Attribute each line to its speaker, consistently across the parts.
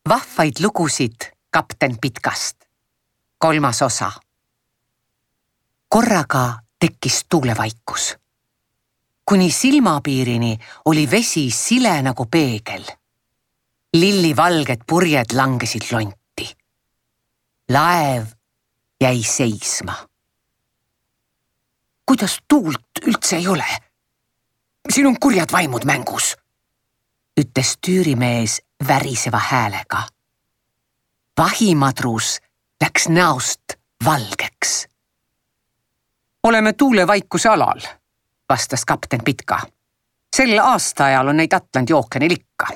Speaker 1: Vahvaid lugusid kapten Pitkast. 3. osa. Korraga tekkis tuulevaikus. Kuni silmapiirini oli vesi sile nagu peegel. Lillivalged purjed langesid lonti. Laev jäi seisma. Kuidas tuult üldse ei ole? Siin on kurjad vaimud mängus, ütles tüürimees väriseva häälega. Vahimadrus läks näost valgeks. Oleme tuulevaikuse alal, vastas kapten Pitka. Sel aastaajal on neid Atlandi ookeanil ikka.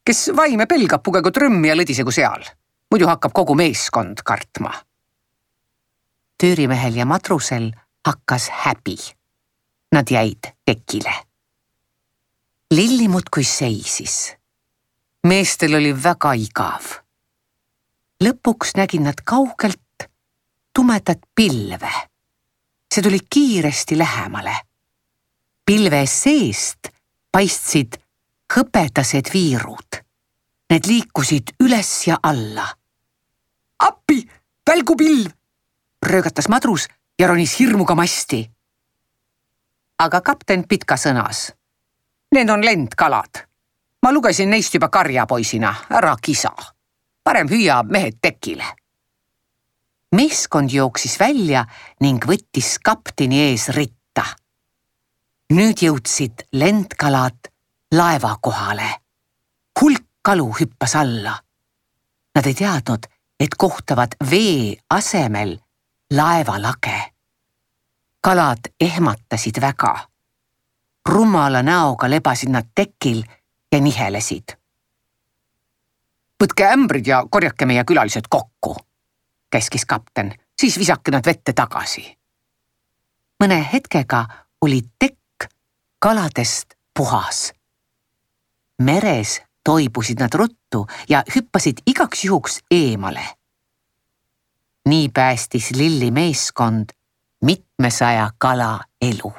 Speaker 1: Kes vaime pelgab, pugegu trõmmi ja lõdisegu seal. Muidu hakkab kogu meeskond kartma. Tüürimehel ja madrusel hakkas häbi. Nad jäid tekile. Lilli muudkui seisis. Meestel oli väga igav. Lõpuks nägid nad kaugelt tumedat pilve. See tuli kiiresti lähemale. Pilve seest paistsid hõbedased viirud. Need liikusid üles ja alla. Appi, välgupilv! Röögatas madrus ja ronis hirmuga masti. Aga kapten Pitka sõnas. Need on lendkalad. Ma lugesin neist juba karjapoisina, ära kisa. Parem hüüa mehed tekile. Meeskond jooksis välja ning võttis kapteni ees ritta. Nüüd jõudsid lendkalad laeva kohale. Hulk kalu hüppas alla. Nad ei teadnud, et kohtavad vee asemel laevalage. Kalad ehmatasid väga. Rumala näoga lebasid nad tekil ja nihelesid. Võtke ämbrid ja korjake meie külalised kokku, käskis kapten, siis visake nad vette tagasi. Mõne hetkega oli tekk kaladest puhas. Meres toibusid nad ruttu ja hüppasid igaks juhuks eemale. Nii päästis Lilli meeskond 700 kala elu.